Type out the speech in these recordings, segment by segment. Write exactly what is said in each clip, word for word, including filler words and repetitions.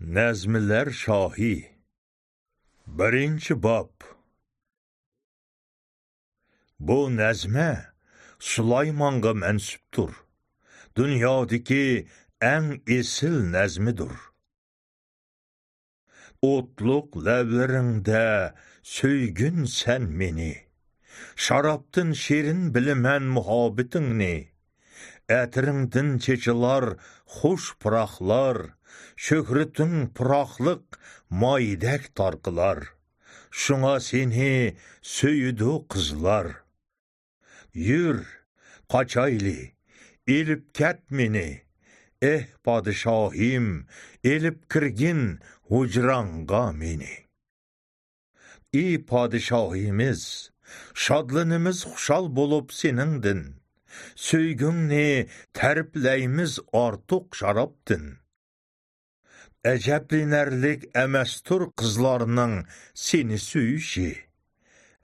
نەزمىلەر شاھى. بىرىنچى باب. بۇ نەزمە سۇلايمانغا مەنسۇپتۇر. دۇنيادىكى ئەڭ ئېسىل نەزمىدۇر. ئوتلۇق لەۋلىرىڭدە سۆيگىن سەن مېنى. شارابتىن شېرىن بىلىمەن مۇھەببىتىڭنى. ئەتىرىڭدىن چېچىلار خۇش پۇراقلار، شۆھرىتىڭ پۇراقلىق مايدەك تارقىلار. شۇڭا سېنى سۆيىدۇ قىزلار. يۈر، قاچايلى، ئېلىپ كەت مېنى. ئېھ، پادىشاھىم، ئېلىپ كىرگىن ھۇجراڭغا مېنى. ئى پادىشاھىمىز، شادلىنىمىز خۇشال بولۇپ سېنىڭدىن. سۆيگۈڭنى تەرىپلەيمىز ئارتۇق شارابتىن. ئەجەبلىنەرلىك ئەمەستۇر قىزلارنىڭ سېنى سۆيۈشى.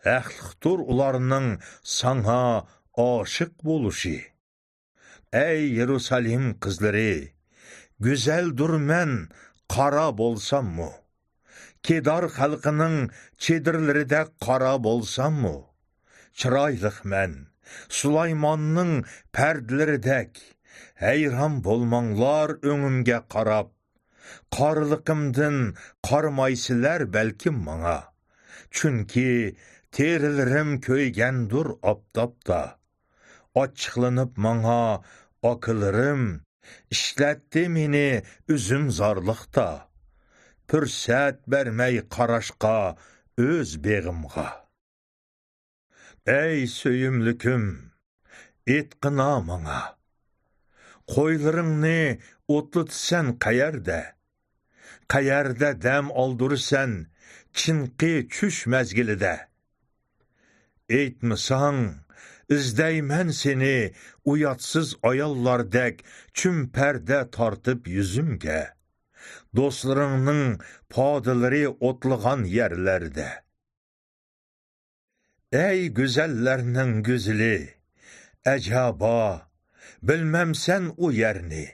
ھەقلىقتۇر ئۇلارنىڭ ساڭا ئاشىق بولۇشى. ئەي يېرۇسالېم قىزلىرى، گۈزەلدۇرمەن قارا بولساممۇ، كېدار خەلقىنىڭ چېدىرلىرىدەك قارا بولساممۇ، چىرايلىقمەن سۇلايماننىڭ پەردىلىرىدەك. ھەيران بولماڭلار ئۆڭۈمگە قاراپ، قارىلىقىمدىن قارىمايسىلەر بەلكىم ماڭا. چۈنكى تېرىلىرىم كۆيگەندۇر ئاپتاپتا. ئاچچىقلىنىپ ماڭا ئاكىلىرىم، ئىشلەتتى مېنى ئۈزۈمزارلىقتا. پۇرسەت بەرمەي قاراشقا ئۆز بېغىمغا. ئەي سۆيۈملۈكۈم، ئېيتقىنا ماڭا، قويلىرىڭنى ئوتلىتىسەن قەيەردە؟ قەيەردە دەم ئالدۇرىسەن چىنقى چۈش مەزگىلىدە؟ ئېيتمىساڭ، ئىزدەيمەن سېنى ئۇياتسىز ئاياللاردەك چۈمپەردە تارتىپ يۈزۈمگە، دوستلىرىڭنىڭ پادىلىرى ئوتلىغان يەرلەردە. ئەي گۈزەللەرنىڭ گۈزىلى، ئەجەبا، بىلمەمسەن ئۇ يەرنى؟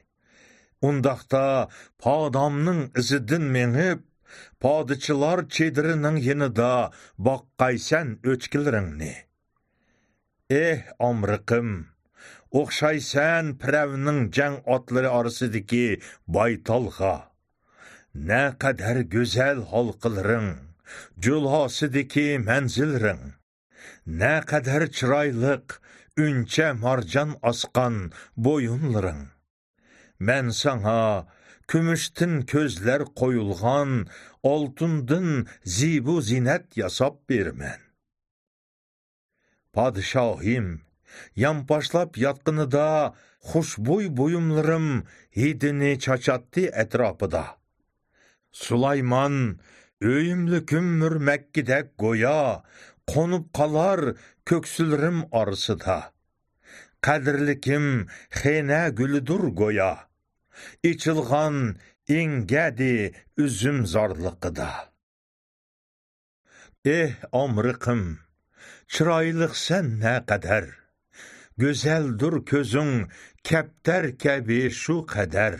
ئۇنداقتا پادامنىڭ ئىزىدىن مېڭىپ، پادىچىلار چېدىرىنىڭ يېنىدا باققايسەن ئۆچكىلىرىڭنى. ئېھ ئامرىقىم، ئوخشايسەن پىرەۋنىڭ جەڭ ئاتلىرى ئارىسىدىكى بايتالغا. نەقەدەر گۈزەل ھالقىلىرىڭ، جۇلاسىدىكى مەنزىللىرىڭ. نەقەدەر چىرايلىق، ئۈنچە مارجان ئاسقان بويۇنلىرىڭ. مەن ساڭا كۈمۈشتىن كۆزلەر قويۇلغان، ئالتۇندىن زىبۇ زىننەت ياساپ بېرىمەن. پادىشاھىم، يانپاشلاپ ياتقىنىدا خۇشبۇي بۇيۇملىرىم ھىدىنى چاچاتتى ئەتراپىدا. سۇلايمان، ئۆيۈملۈكۈم مۈرمەككىدەك گويا، قونۇپ قالار كۆكسۈلىرىم ئارىسىدا. قەدىرلىكىم خېنە گۈلىدۇر گويا، ئېچىلغان ئېڭگەدى ئۈزۈمزارلىقىدا. ئېھ ئامرىقىم، چىرايلىقسەن نەقەدەر، گۈزەلدۇر كۆزۈڭ كەپتەر كەبى شۇ قەدەر.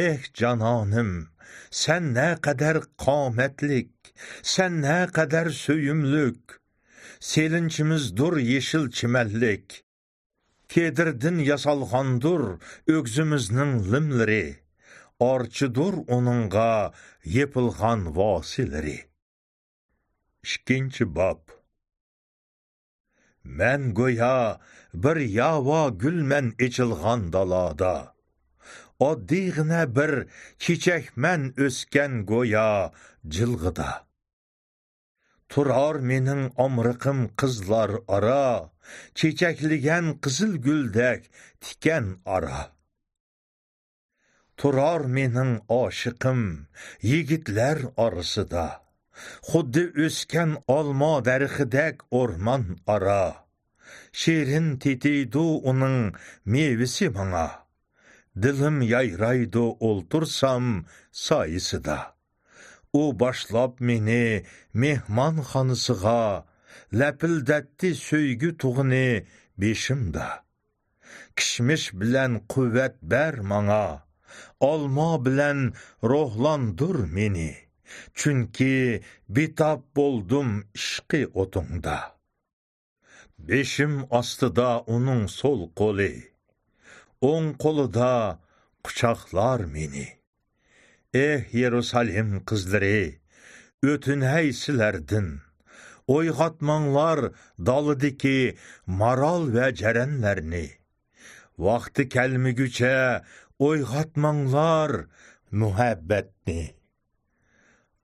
ئېھ جانانىم، سەن نەقەدەر قامەتلىك، سەن نەقەدەر سۆيۈملۈك. سېلىنچىمىزدۇر يېشىل چىمەنلىك. كېدىردىن ياسالغاندۇر ئۆگزىمىزنىڭ لىملىرى، ئارچىدۇر ئۇنىڭغا يېپىلغان ۋاسىلىرى. ئىككىنچى باب. مەن گويا بىر ياۋا گۈلمەن ئېچىلغان دالادا، ئاددىيغىنە بىر چېچەكمەن ئۆسكەن گويا جىلغىدا. تۇرار مېنىڭ ئامرىقىم قىزلار ئارا، چېچەكلىگەن قىزىل گۈلدەك تىكەن ئارا. تۇرار مېنىڭ ئاشىقىم يىگىتلەر ئارىسىدا، خۇددى ئۆسكەن ئالما دەرىخىدەك ئورمان ئارا. شېرىن تېتىيدۇ ئۇنىڭ مېۋىسى ماڭا، دىلىم يايرايدۇ ئولتۇرسام سايىسىدا. ئۇ باشلاپ مېنى مېھمانخانىسىغا، لەپىلدەتتى سۆيگۈ تۇغىنى بېشىمدا. كىشمىش بىلەن قۇۋۋەت بەر ماڭا، ئالما بىلەن روھلاندۇر مېنى، چۈنكى بىتاپ بولدۇم ئىشقى ئوتۇڭدا. بېشىم ئاستىدا ئۇنىڭ سول قولى، ئوڭ قولىدا قۇچاقلار مېنى. ئېھ، يېرۇسالېم قىزلىرى، ئۆتۈنەي سىلەردىن، ئويغاتماڭلار دالىدىكى مارال ۋە جەرەنلەرنى. ۋاقتى كەلمىگۈچە ئويغاتماڭلار مۇھەببەتنى.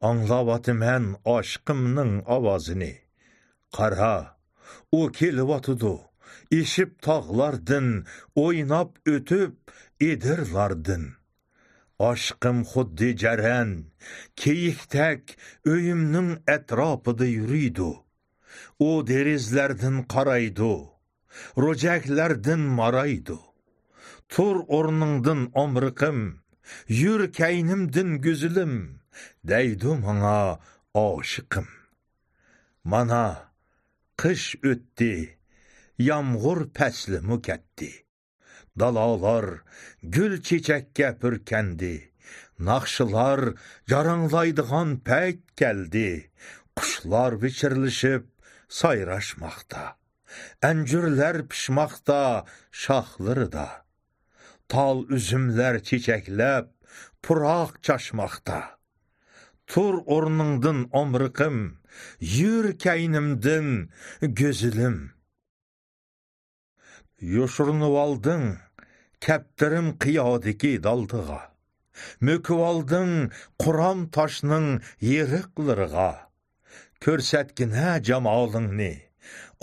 ئاڭلاۋاتىمەن ئاشىقىمنىڭ ئاۋازىنى. قارا، ئۇ كېلىۋاتىدۇ، ئېشىپ تاغلاردىن، ئويناپ ئۆتۈپ ئېدىرلاردىن. ئاشىقىم خۇددى جەرەن، كېيىكتەك ئۆيۈمنىڭ ئەتراپىدا يۈرىدۇ. ئۇ دېرىزىلەردىن قارايدۇ، روجەكلەردىن مارايدۇ. تۇر ئورنۇڭدىن ئامرىقىم، يۈر كەينىمدىن گۈزىلىم، دەيدۇ ماڭا ئاشىقىم. مانا، قىش ئۆتتى، يامغۇر پەسلىمۇ كەتتى. دالالار گۈل چېچەككە پۈركەندى. ناخشىلار جاراڭلايدىغان پەيت كەلدى. قۇشلار ۋىچىرلىشىپ سايراشماقتا. ئەنجۈرلەر پىشماقتا شاخلىرىدا. تال ئۈزۈملەر چېچەكلەپ پۇراق چاچماقتا. تۇر ئورنۇڭدىن ئامرىقىم، يۈر كەينىمدىن گۈزىلىم. يوشۇرۇنۇۋالدىڭ كەپتىرىم قىيادىكى دالدىغا، مۆكۈۋالدىڭ قۇرام تاشنىڭ يېرىقلىرىغا. كۆرسەتكىنە جامالىڭنى،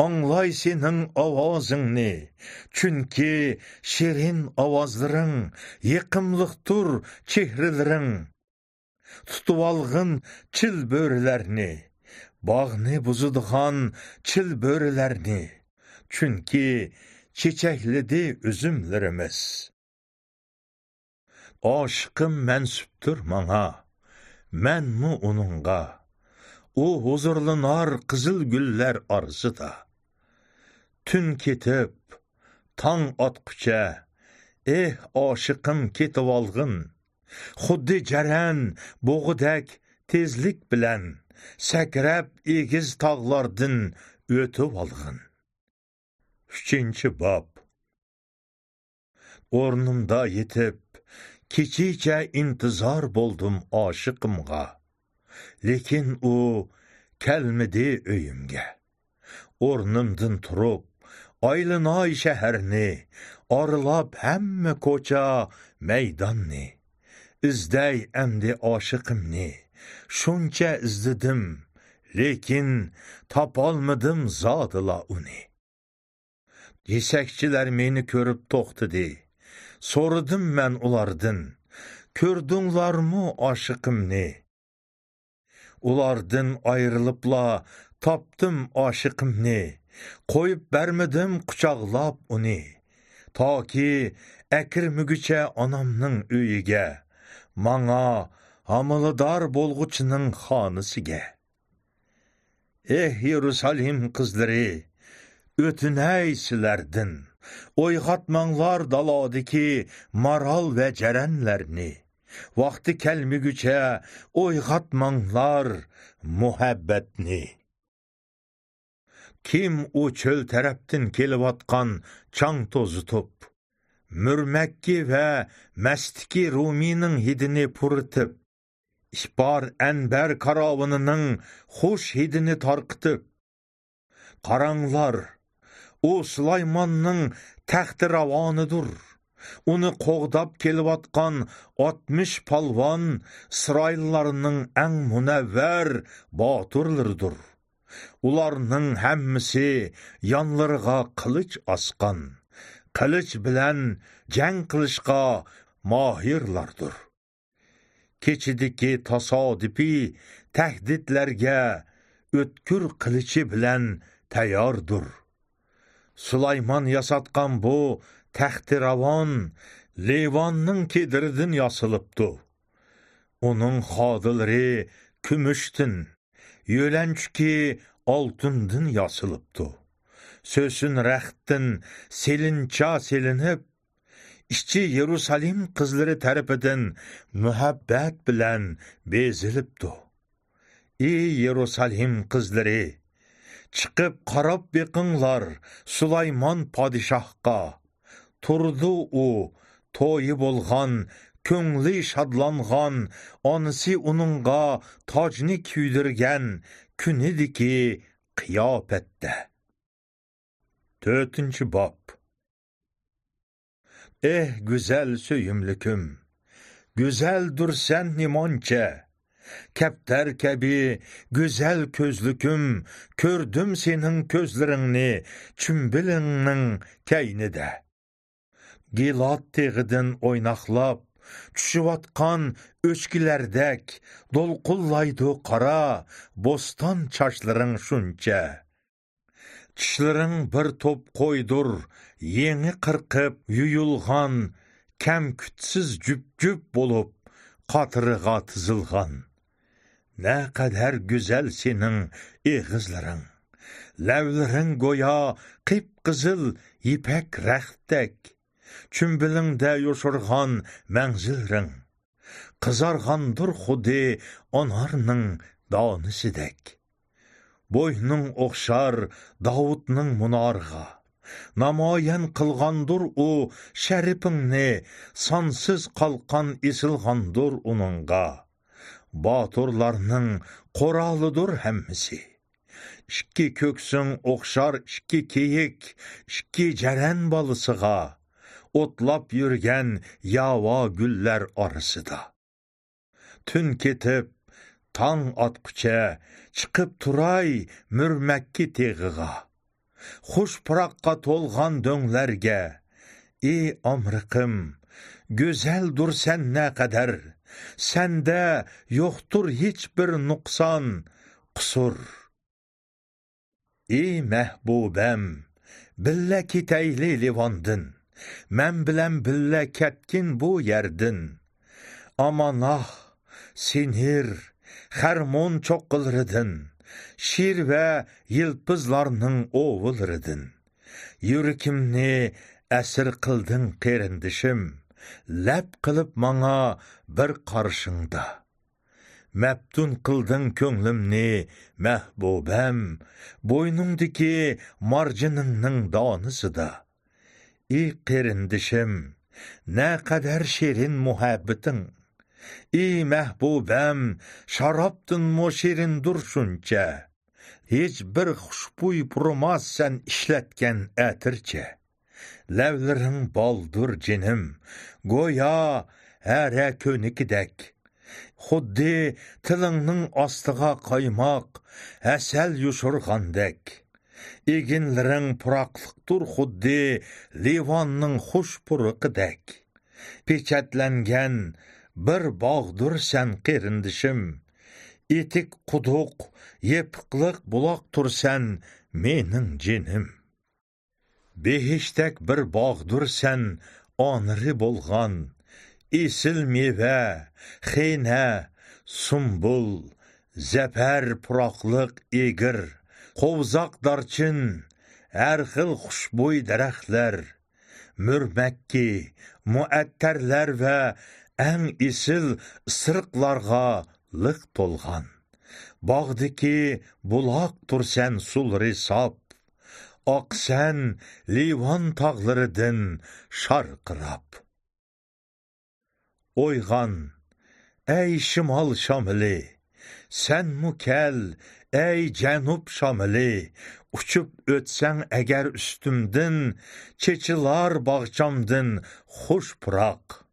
ئاڭلاي سېنىڭ ئاۋازىڭنى، چۈنكى شېرىن ئاۋازلىرىڭ يېقىملىقتۇر چېھرىلىرىڭ. تۇتۇۋالغىن چىلبۆرىلەرنى، باغنى بۇزىدىغان چىلبۆرىلەرنى، چۈنكى چېچەكلىدى ئۈزۈملىرىمىز. ئاشىقىم مەنسۇپتۇر ماڭا، مەنمۇ ئۇنىڭغا. ئۇ ھۇزۇرلىنار قىزىل گۈللەر ئارىسىدا. تۈن كېتىپ، تاڭ ئاتقۇچە، ئېھ، ئاشىقىم كېتىۋالغىن. خۇددى جەرەن بۇغىدەك تېزلىك بىلەن سەكرەپ ئېگىز تاغلاردىن ئۆتۈۋالغىن. ئۈچىنچى باب. ئورنۇمدا يېتىپ، كېچىچە ئىنتىزار بولدۇم ئاشىقىمغا. لېكىن ئۇ كەلمىدى ئۆيۈمگە. ئورنۇمدىن تۇرۇپ، ئايلىناي شەھەرنى، ئارىلاپ ھەممە كوچا، مەيداننى. ئىزدەي ئەمدى ئاشىقىمنى، شۇنچە ئىزدىدىم، لېكىن تاپالمىدىم زادىلا ئۇنى. يېسەكچىلەر مېنى كۆرۈپ توختىدى. سورىدىم مەن ئۇلاردىن، «كۆردۈڭلارمۇ ئاشىقىمنى؟» ئۇلاردىن ئايرىلىپلا تاپتىم ئاشىقىمنى، قويۇپ بەرمىدىم قۇچاقلاپ ئۇنى. تاكى ئەكىرمىگۈچە ئانامنىڭ ئۆيىگە، ماڭا ھامىلىدار بولغۇچىنىڭ خانىسىگە. ئېھ، يېرۇسالېم قىزلىرى، ئۆتۈنەي سىلەردىن، ئويغاتماڭلار دالادىكى مارال ۋە جەرەنلەرنى. ۋاقتى كەلمىگۈچە ئويغاتماڭلار مۇھەببەتنى. كىم ئۇ چۆل تەرەپتىن كېلىۋاتقان چاڭ توزۇتۇپ، مۈرمەككى ۋە مەستىكى رۇمىنىڭ ھىدىنى پۇرىتىپ، ئىپار ئەنبەر كاراۋىنىنىڭ خۇش ھىدىنى تارقىتىپ، قاراڭلار، ئۇ سۇلايماننىڭ تەختى راۋانىدۇر. ئۇنى قوغداپ كېلىۋاتقان ئاتمىش پالۋان ئىسرائىللارنىڭ ئەڭ مۇنەۋۋەر باتۇرلىرىدۇر. ئۇلارنىڭ ھەممىسى يانلىرىغا قىلىچ ئاسقان، قىلىچ بىلەن جەڭ قىلىشقا ماھىرلاردۇر. كېچىدىكى تاسادىپىي تەھدىتلەرگە ئۆتكۈر قىلىچى بىلەن تەيياردۇر. سۇلايمان ياساتقان بۇ تەختى راۋان لىۋاننىڭ كېدىرىدىن ياسىلىپتۇ. ئۇنىڭ خادىلىرى كۈمۈشتىن، يۆلەنچۈكى ئالتۇندىن ياسىلىپتۇ. سۆسۈن رەختتىن سېلىنچا سېلىنىپ، ئىچى يېرۇسالىم قىزلىرى تەرىپىدىن مۇھەببەت بىلەن بېزىلىپتۇ. ئى يېرۇسالىم قىزلىرى، چىقىپ قاراپ بېقىڭلار سۇلايمان پادىشاھقا. تۇرىدۇ ئۇ، تويى بولغان، كۆڭلى شادلانغان، ئانىسى ئۇنىڭغا تاجنى كىيدۈرگەن كۈنىدىكى قىياپەتتە. تۆتىنچى باب. ئېھ، گۈزەل سۆيۈملۈكۈم، گۈزەلدۇرسەن نېمانچە! كەپتەر كەبى گۈزەل كۆزلۈكۈم، كۆردۈم سېنىڭ كۆزلىرىڭنى چۈمبىلىڭنىڭ كەينىدە. گىلاد تېغىدىن ئويناقلاپ چۈشۈۋاتقان ئۆچكىلەردەك دولقۇنلايدۇ قارا بوستان چاچلىرىڭ شۇنچە. چىشلىرىڭ بىر توپ قويدۇر، يېڭى قىرقىپ يۇيۇلغان، كەمكۈتسىز جۈپ-جۈپ بولۇپ قاتىرىغا تىزىلغان. نەقەدەر گۈزەل سېنىڭ ئېغىزلىرىڭ، لەۋلىرىڭ گويا قىپقىزىل يىپەك رەختتەك، چۈمبىلىڭدە يوشۇرغان مەڭزىلىرىڭ، قىزارغاندۇر خۇددى ئانارنىڭ دانىسىدەك. بوينۇڭ ئوخشار داۋۇتنىڭ مۇنارىغا، نامايان قىلغاندۇر ئۇ شەرىپىڭنى، سانسىز قالقان ئېسىلغاندۇر ئۇنىڭغا. باتۇرلارنىڭ قورالىدۇر ھەممىسى. ئىككى كۆكسۈڭ ئوخشار ئىككى كېيىك، ئىككى جەرەن بالىسىغا، ئوتلاپ يۈرگەن ياۋا گۈللەر ئارىسىدا. تۈن كېتىپ، تاڭ ئاتقۇچە چىقىپ تۇراي مۈرمەككى تېغىغا. خۇش پۇراققا تولغان دۆڭلەرگە، ئى ئامرىقىم، گۈزەلدۇرسەن نەقەدەر، سەندە يوقتۇر ھېچبىر نۇقسان، قۇسۇر. ئى مەھبۇبەم، بىللە كېتەيلى لىۋاندىن، مەن بىلەن بىللە كەتكىن بۇ يەردىن. ئاماناھ، سىنىر، خەرمون چوققىلىرىدىن، شىر ۋە يىلپىزلارنىڭ ئوۋىلىرىدىن. يۈرىكىمنى ئەسىر قىلدىڭ قېرىندىشىم، لەپ قىلىپ ماڭا بىر قارىشىڭدا. مەپتۇن قىلدىڭ كۆڭلۈمنى مەھبۇبەم، بوينۇڭدىكى مارجىنىڭنىڭ دانىسىدا. ئى قېرىندىشىم، نەقەدەر شېرىن مۇھەببىتىڭ! ئى مەھبۇبەم، شارابتىنمۇ شېرىندۇر شۇنچە. ھېچ بىر خۇشبۇي پۇرىماس سەن ئىشلەتكەن ئەتىرچە. لەۋلىرىڭ بالدۇر جېنىم، گويا ھەرە كۆنىكىدەك. خۇددى تىلىڭنىڭ ئاستىغا قايماق، ھەسەل يوشۇرغاندەك. ئېگىنلىرىڭ پۇراقلىقتۇر خۇددى لىۋاننىڭ خۇش پۇرىقىدەك. پېچەتلەنگەن بىر باغدۇر سەن قېرىندىشىم. ئېتىك قۇدۇق، يېپىقلىق بۇلاقتۇر سەن مېنىڭ جېنىم. بېھىشتەك بىر باغدۇر سەن ئانىرى بولغان. ئېسىل مېۋە، خېنە، سۇمبۇل، زەپەر پۇراقلىق ئېگىر، قوۋزاق دارچىن، ھەر خىل خۇشبۇي دەرەخلەر، مۈرمەككى، مۇئەتتەرلەر ۋە ئەڭ ئېسىل ئىسرىقلارغا لىق تولغان. باغدىكى بۇلاقتۇر سەن سۇلىرى ساپ، ئاقىسەن لىۋان تاغلىرىدىن شارقىراپ. ئويغان، ئەي شىمال شامىلى، سەنمۇ كەل، ئەي جەنۇب شامىلى، ئۇچۇپ ئۆتسەڭ ئەگەر ئۈستۈمدىن، چېچىلار باغچامدىن خۇش پۇراق.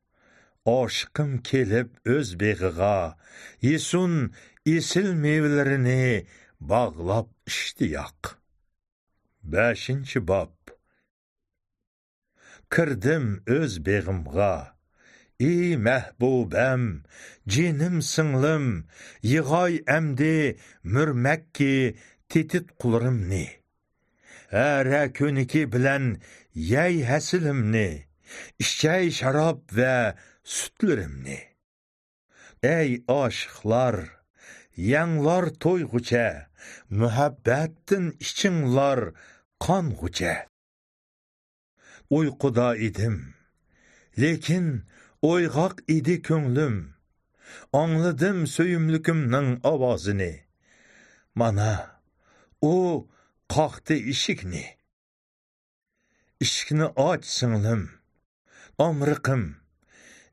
ئاشىقىم كېلىپ ئۆز بېغىغا، يېسۇن ئېسىل مېۋىلىرىنى باغلاپ ئىشتىياق. بەشىنچى باب. كىردىم ئۆز بېغىمغا، ئى مەھبۇبەم، جېنىم سىڭلىم، يىغاي ئەمدى مۈرمەككى تېتىتقۇلىرىمنى. ھەرە كۆنىكى بىلەن يەي ھەسىلىمنى، ئىچەي شاراب ۋە سۈتلىرىمنى. ئەي ئاشىقلار، يەڭلار تويغۇچە، مۇھەببەتتىن ئىچىڭلار قانغۇچە. ئۇيقۇدا ئىدىم، لېكىن ئويغاق ئىدى كۆڭلۈم. ئاڭلىدىم سۆيۈملۈكۈمنىڭ ئاۋازىنى. مانا، ئۇ قاقتى ئىشىكنى. ئىشىكنى ئاچ، سىڭلىم، ئامرىقىم.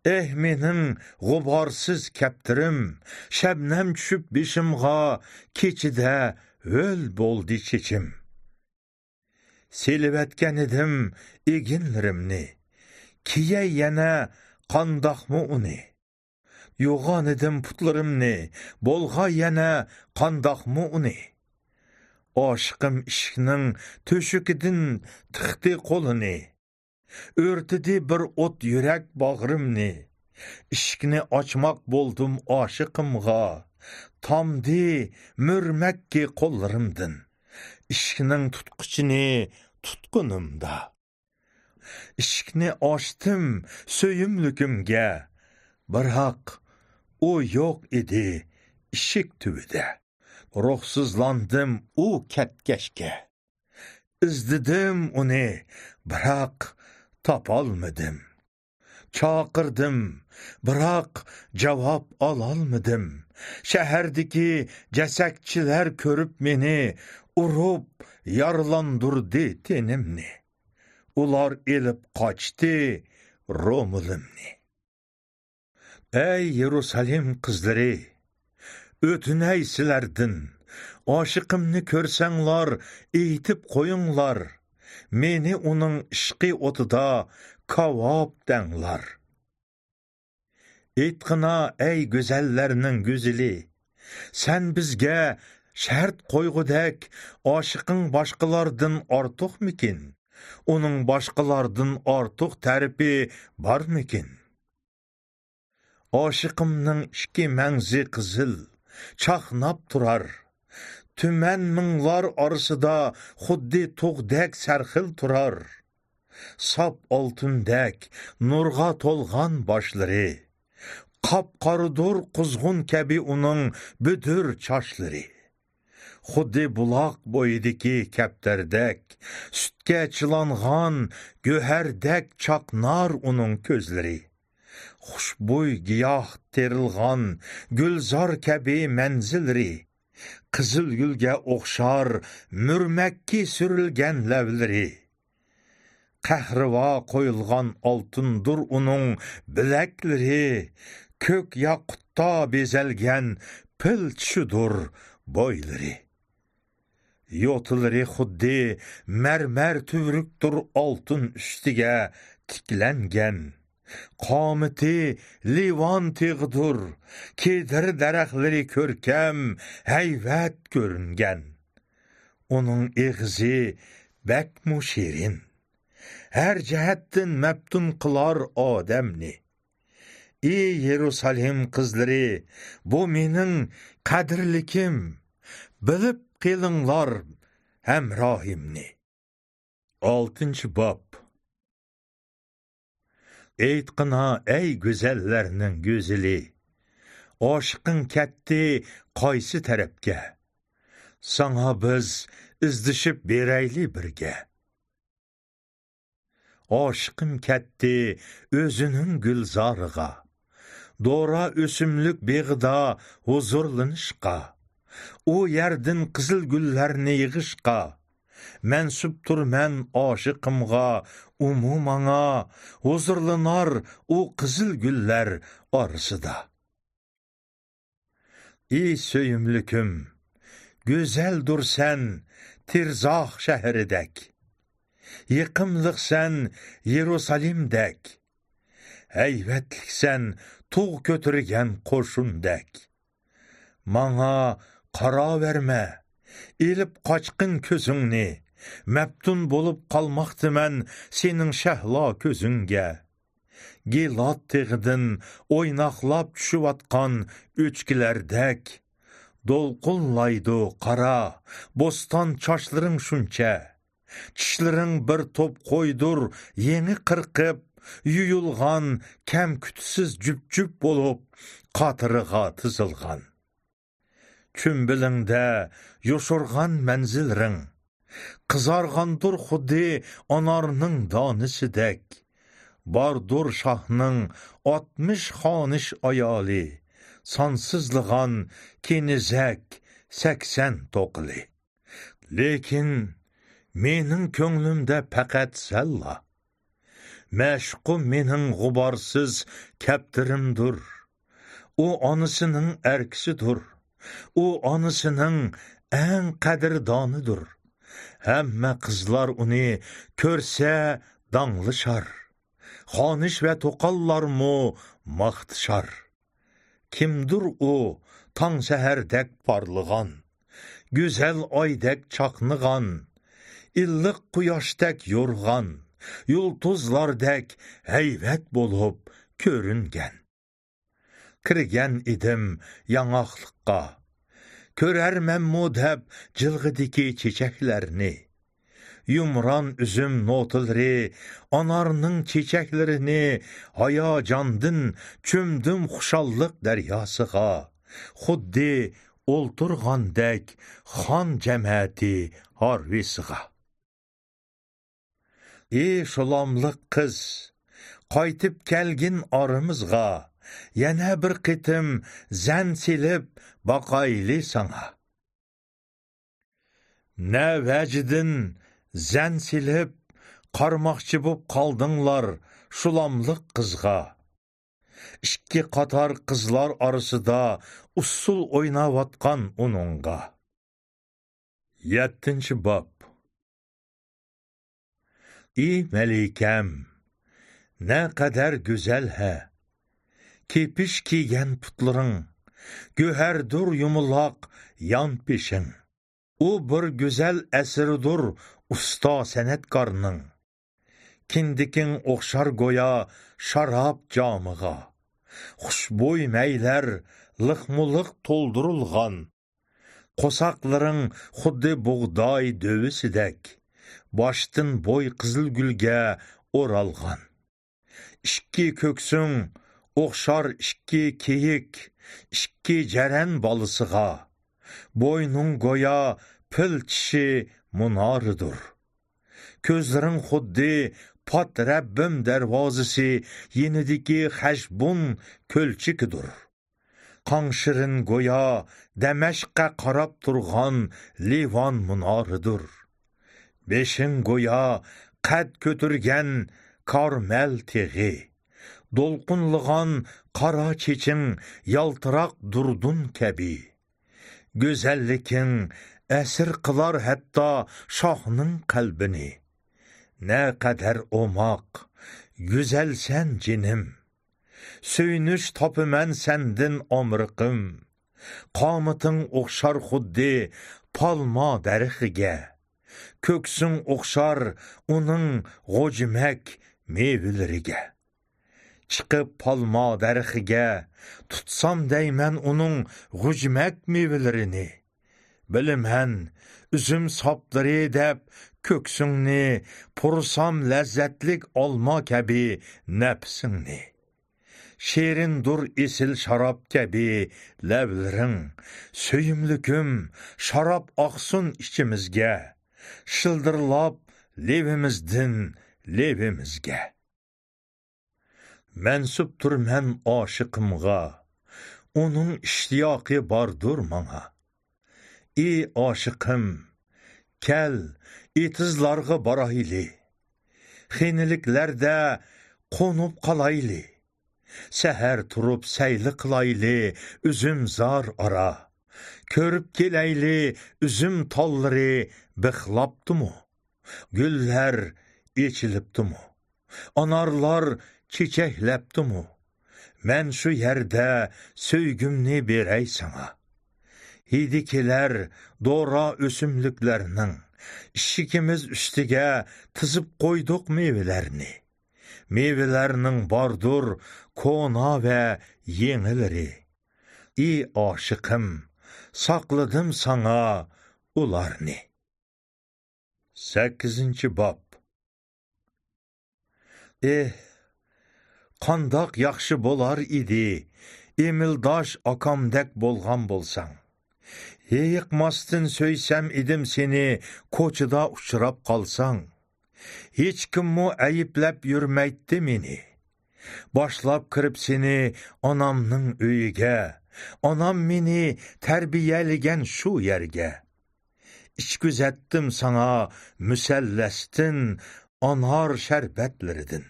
ئەھ، مېنىڭ غۇبارسىز كەپتىرىم، شەبنەم چۈشۈپ بېشىمغا، كېچىدە ھۆل بولدى چېچىم. سېلىۋەتكەنىدىم ئېگىنلىرىمنى، كىيەي يەنە قانداقمۇ ئۇنى؟ يوغانىدىم پۇتلىرىمنى، بولغاي يەنە قانداقمۇ ئۇنى؟ ئاشىقىم ئىشىكنىڭ تۆشۈكىدىن تىقتى قولىنى. ئۆرتىدى بىر ئوت يۈرەك باغرىمنى. ئىشىكنى ئاچماق بولدۇم ئاشىقىمغا. تامدى مۈرمەككى قوللىرىمدىن، ئىشىكنىڭ تۇتقۇچىنى تۇتقىنىمدا. ئىشىكنى ئاچتىم سۆيۈملۈكۈمگە، بىراق ئۇ يوق ئىدى ئىشىك تۈۋىدە. روھسىزلاندىم ئۇ كەتكەچكە. ئىزدىدىم ئۇنى، بىراق تاپالمىدىم. چاقىردىم، بىراق جاۋاب ئالالمىدىم. شەھەردىكى جەسەكچىلەر كۆرۈپ مېنى، ئۇرۇپ يارىلاندۇردى تېنىمنى. ئۇلار ئېلىپ قاچتى رومىلىمنى. ئەي يېرۇسالىم قىزلىرى، ئۆتۈنەي سىلەردىن، ئاشىقىمنى كۆرسەڭلار، ئېيتىپ قويۇڭلار، مېنى ئۇنىڭ ئىشقى ئوتىدا كاۋاپ دەڭلار. ئېيتقىنا، ئەي گۈزەللەرنىڭ گۈزىلى، سەن بىزگە شەرت قويغۇدەك، ئاشىقىڭ باشقىلاردىن ئارتۇقمىكىن؟ ئۇنىڭ باشقىلاردىن ئارتۇق تەرىپى بارمىكىن؟ ئاشىقىمنىڭ ئىككى مەڭزى قىزىل، چاقناپ تۇرار. تۈمەن مىڭلار ئارىسىدا خۇددى تۇغدەك سەرخىل تۇرار. ساپ ئالتۇندەك نۇرغا تولغان باشلىرى، قاپقارىدۇر قۇزغۇن كەبى ئۇنىڭ بۈدۈر چاچلىرى. خۇددى بۇلاق بويىدىكى كەپتەردەك، سۈتكە چىلانغان گۆھەردەك چاقنار ئۇنىڭ كۆزلىرى. خۇشبۇي گىياھ تېرىلغان گۈلزار كەبى مەنزىللىرى، قىزىل گۈلگە ئوخشار مۈرمەككە سۈرۈلگەن لەۋلىرى. قەھرىۋا قويۇلغان ئالتۇندۇر ئۇنىڭ بىلەكلىرى، كۆك ياقۇتتا بېزەلگەن پىل چىشىدۇر بويلىرى. يوتىلىرى خۇددى مەرمەر تۈۋرۈكتۇر ئالتۇن ئۈستىگە تىكلەنگەن. قامىتى لىۋان تېغىدۇر، كېدىر دەرەخلىرى كۆركەم، ھەيۋەت كۆرۈنگەن. ئۇنىڭ ئېغىزى بەكمۇ شېرىن، ھەر جەھەتتىن مەپتۇن قىلار ئادەمنى. ئى يېرۇسالېم قىزلىرى، بۇ مېنىڭ قەدىرلىكىم، بىلىپ قېلىڭلار ھەمراھىمنى. ئالتىنچى باب. ئېيتقىنا، ئەي گۈزەللەرنىڭ گۈزىلى، ئاشىقىڭ كەتتى قايسى تەرەپكە؟ ساڭا بىز ئىزدىشىپ بېرەيلى بىرگە. ئاشىقىم كەتتى ئۆزىنىڭ گۈلزارىغا، دورا ئۆسۈملۈك بېغىدا ھۇزۇرلىنىشقا. ئۇ يەردىن قىزىل گۈللەرنى يىغىشقا. مەنسۇپتۇرمەن ئاشىقىمغا، ئۇمۇ ماڭا، ھۇزۇرلىنار ئۇ قىزىل گۈللەر ئارىسىدا. ئى سۆيۈملۈكۈم، گۈزەلدۇرسەن تىرزاھ شەھىرىدەك، يېقىملىقسەن يېرۇسالېمدەك، ھەيۋەتلىكسەن تۇغ كۆتۈرگەن قوشۇندەك. ماڭا قاراۋەرمە، ئېلىپ قاچقىن كۆزۈڭنى، مەپتۇن بولۇپ قالماقتىمەن سېنىڭ شەھلا كۆزۈڭگە. گىلاد تېغىدىن ئويناقلاپ چۈشۈۋاتقان ئۆچكىلەردەك، دولقۇنلايدۇ قارا بوستان چاچلىرىڭ شۇنچە. چىشلىرىڭ بىر توپ قويدۇر يېڭى قىرقىپ، يۇيۇلغان، كەمكۈتسىز جۈپ-جۈپ بولۇپ، قاتىرىغا تىزىلغان. چۈمبىلىڭدە يوشۇرغان مەنزىللىرىڭ، قىزارغاندۇر خۇددى ئانارنىڭ دانىسىدەك. باردۇر شاھنىڭ ئاتمىش خانىش ئايالى، سانسىزلىغان كېنىزەك سەكسەن توقىلى. لېكىن مېنىڭ كۆڭلۈمدە پەقەت سەنلا. مەشۇقۇم مېنىڭ غۇبارسىز كەپتىرىمدۇر. ئۇ ئانىسىنىڭ ئەركىسىدۇر. ئۇ ئانىسىنىڭ ئەڭ قەدىردانىدۇر. ھەممە قىزلار ئۇنى كۆرسە داڭلىشار. خانىش ۋە توقاللارمۇ ماختىشار. كىمدۇر ئۇ تاڭ سەھەردەك پارلىغان، گۈزەل ئايدەك چاقنىغان، ئىللىق قۇياشتەك يورغان، يۇلتۇزلاردەك ھەيۋەت بولۇپ كۆرۈنگەن. كىرگەن ئىدىم ياڭاقلىققا، كۆرەرمەنمۇ دەپ جىلغىدىكى چېچەكلەرنى. يۇمران ئۈزۈم نوتىلىرى، ئانارنىڭ چېچەكلىرىنى، ھاياجاندىن چۆمدۈم خۇشاللىق دەرياسىغا. خۇددى ئولتۇرغاندەك خان جەمەتى ھارۋىسىغا. ئى شۇلاملىق قىز، قايتىپ كەلگىن ئارىمىزغا، يەنە بىر قېتىم زەن سېلىپ باقايلى ساڭا. نە ۋەجىدىن زەن سېلىپ قارىماقچى بوپ قالدىڭلار شۇلاملىق قىزغا؟ ئىككى قاتار قىزلار ئارىسىدا ئۇسسۇل ئويناۋاتقان ئۇنىڭغا. يەتتىنچى باب. ئى مەلىكەم، نەقەدەر گۈزەل ھە! كېپىش كىيگەن پۇتلىرىڭ، گۆھەردۇر يۇمىلاق يان پېشىڭ. ئۇ بىر گۈزەل ئەسىرىدۇر ئۇستا سەنئەتكارنىڭ. كىندىكىڭ ئوخشار گويا شاراب جامىغا. خۇشبۇي مەيلەر لىقمۇلىق تولدۇرۇلغان. قورساقلىرىڭ خۇددى بۇغداي دۆۋىسىدەك، باشتىن بوي قىزىل گۈلگە ئورالغان. ئىككى كۆكسۈڭ ئوخشار ئىككى كېيىك، ئىككى جەرەن بالىسىغا. بوينۇڭ گويا پىل چىشى مۇنارىدۇر. كۆزلىرىڭ خۇددى پات رەببىم دەرۋازىسى يېنىدىكى خەشبۇن كۆلچىكىدۇر. قاڭشىرىن گويا دەمەشققە قاراپ تۇرغان لىۋان مۇنارىدۇر. بېشىڭ گويا قەد كۆتۈرگەن كارمەل تېغى. دولقۇنلىغان قارا چېچىڭ يالتىراق دۇردۇن كەبى. گۈزەللىكىڭ ئەسىر قىلار ھەتتا شاھنىڭ قەلبىنى. نەقەدەر ئوماق، گۈزەلسەن جېنىم. سۆيۈنۈش تاپىمەن سەندىن ئامرىقىم. قامىتىڭ ئوخشار خۇددى پالما دەرىخىگە. كۆكسۈڭ ئوخشار ئۇنىڭ غوجىمەك مېۋىلىرىگە. چىقىپ پالما دەرىخىگە، تۇتسام دەيمەن ئۇنىڭ غۇجمەك مېۋىلىرىنى. بىلىمەن، ئۈزۈم ساپلىرى دەپ كۆكسۈڭنى، پۇرىسام لەززەتلىك ئالما كەبى نەپسىڭنى. شېرىندۇر ئېسىل شاراب كەبى لەۋلىرىڭ، سۆيۈملۈكۈم، شاراب ئاقسۇن ئىچىمىزگە، شىلدىرلاپ لېۋىمىزدىن لېۋىمىزگە. مەنسۇپتۇرمەن ئاشىقىمغا، ئۇنىڭ ئىشتىياقى باردۇر ماڭا. ئى ئاشىقىم، كەل، ئېتىزلارغا بارايلى. خېنىلىكلەردە قونۇپ قالايلى. سەھەر تۇرۇپ سەيلە قىلايلى ئۈزۈمزار ئارا. كۆرۈپ كېلەيلى ئۈزۈم تاللىرى بىخلاپتىمۇ؟ گۈللەر ئېچىلىپتىمۇ؟ ئانارلار چېچەكلەپتىمۇ؟ مەن شۇ يەردە سۆيگۈمنى بېرەي ساڭا. ھىدى كېلەر دورا ئۆسۈملۈكلەرنىڭ، ئىشىكىمىز ئۈستىگە تىزىپ قويدۇق مېۋىلەرنى. مېۋىلەرنىڭ باردۇر كونا ۋە يېڭىلىرى. ئى ئاشىقىم، ساقلىدىم ساڭا ئۇلارنى. سەككىزىنچى باب. ئېھ، قانداق ياخشى بولار ئىدى، ئېمىلداش ئاكامدەك بولغان بولساڭ. ھېيىقماستىن سۆيسەم ئىدىم سېنى، كوچىدا ئۇچراپ قالساڭ. ھېچكىممۇ ئەيىبلەپ يۈرمەيتتى مېنى. باشلاپ كىرىپ سېنى ئانامنىڭ ئۆيىگە، ئانام مېنى تەربىيەلىگەن شۇ يەرگە. ئىچكۈزەتتىم ساڭا مۇسەللەستىن، ئانار شەربەتلىرىدىن.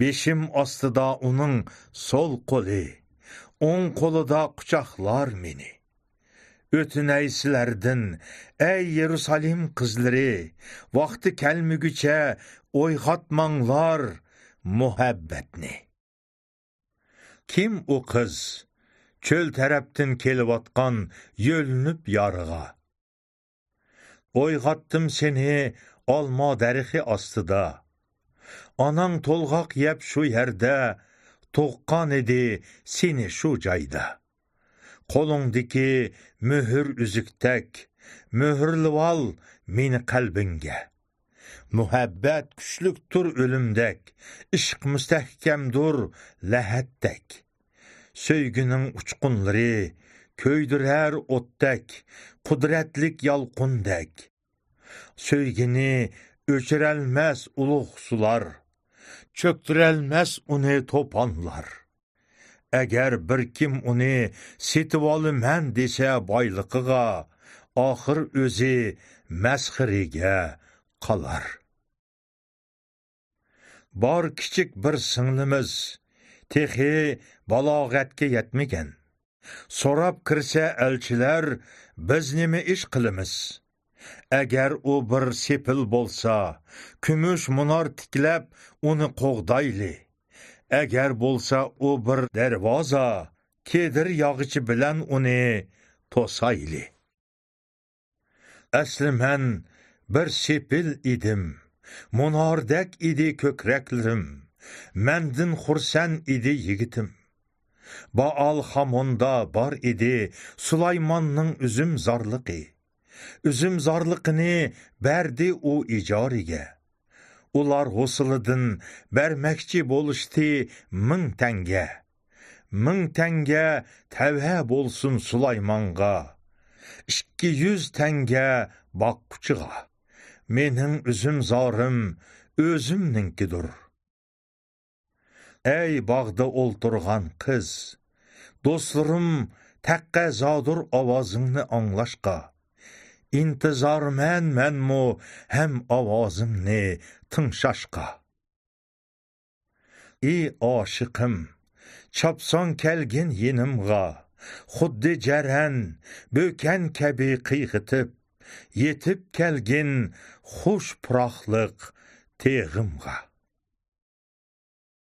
بېشىم ئاستىدا ئۇنىڭ سول قولى، ئوڭ قولىدا قۇچاقلار مېنى. ئۆتۈنەي سىلەردىن، ئەي يېرۇسالېم قىزلىرى، ۋاقتى كەلمىگۈچە ئويغاتماڭلار مۇھەببەتنى. كىم ئۇ قىز؟ چۆل تەرەپتىن كېلىۋاتقان، يۆلىنىپ يارغا. ئويغاتتىم سېنى ئالما دەرىخى ئاستىدا. ئاناڭ تولغاق يەپ شۇ يەردە، تۇغقان ئىدى سېنى شۇ جايدا. قولۇڭدىكى مۆھۈر ئۈزۈكتەك، مۆھۈرلىۋال مېنى قەلبىڭگە. مۇھەببەت كۈچلۈكتۇر ئۆلۈمدەك، ئىشق مۇستەھكەمدۇر لەھەتتەك. سۆيگۈنىڭ ئۇچقۇنلىرى كۆيدۈرەر ئوتتەك، قۇدرەتلىك يالقۇندەك. سۆيگىنى ئۆچۈرەلمەس ئۇلۇغ سۇلار، چۆكتۈرەلمەس ئۇنى توپانلار. ئەگەر بىر كىم ئۇنى سېتىۋالىمەن دېسە بايلىقىغا، ئاخىر ئۆزى مەسخىرىگە قالار. بار كىچىك بىر سىڭلىمىز، تېخى بالاغەتكە يەتمىگەن. سوراپ كىرسە ئەلچىلەر، بىز نېمە ئىش قىلىمىز؟ ئەگەر ئۇ بىر سېپىل بولسا، كۈمۈش مۇنار تىكلەپ ئۇنى قوغدايلى. ئەگەر بولسا ئۇ بىر دەرۋازا، كېدىر ياغىچى بىلەن ئۇنى توسايلى. ئەسلى مەن بىر سېپىل ئىدىم، مۇناردەك ئىدى كۆكرەكلىرىم، مەندىن خۇرسەن ئىدى يىگىتىم. بائال خاموندا بار ئىدى سۇلايماننىڭ ئۈزۈمزارلىقى. ئۈزۈمزارلىقىنى بەردى ئۇ ئىجارىگە. ئۇلار ھوسۇلىدىن بەرمەكچى بولۇشتى مىڭ تەڭگە. مىڭ تەڭگە تەۋە بولسۇن سۇلايمانغا، ئىككى يۈز تەڭگە باققۇچىغا. مېنىڭ ئۈزۈمزارىم ئۆزۈمنىڭكىدۇر. ئەي باغدا ئولتۇرغان قىز، دوستلىرىم تەقەززادۇر ئاۋازىڭنى ئاڭلاشقا. ئىنتىزارمەن مەنمۇ ھەم ئاۋازىڭنى تىڭشاشقا. ئى ئاشىقىم، چاپسان كەلگىن يېنىمغا، خۇددى جەرەن، بۆكەن كەبى قىيغىتىپ، يېتىپ كەلگىن خۇش پۇراقلىق تېغىمغا.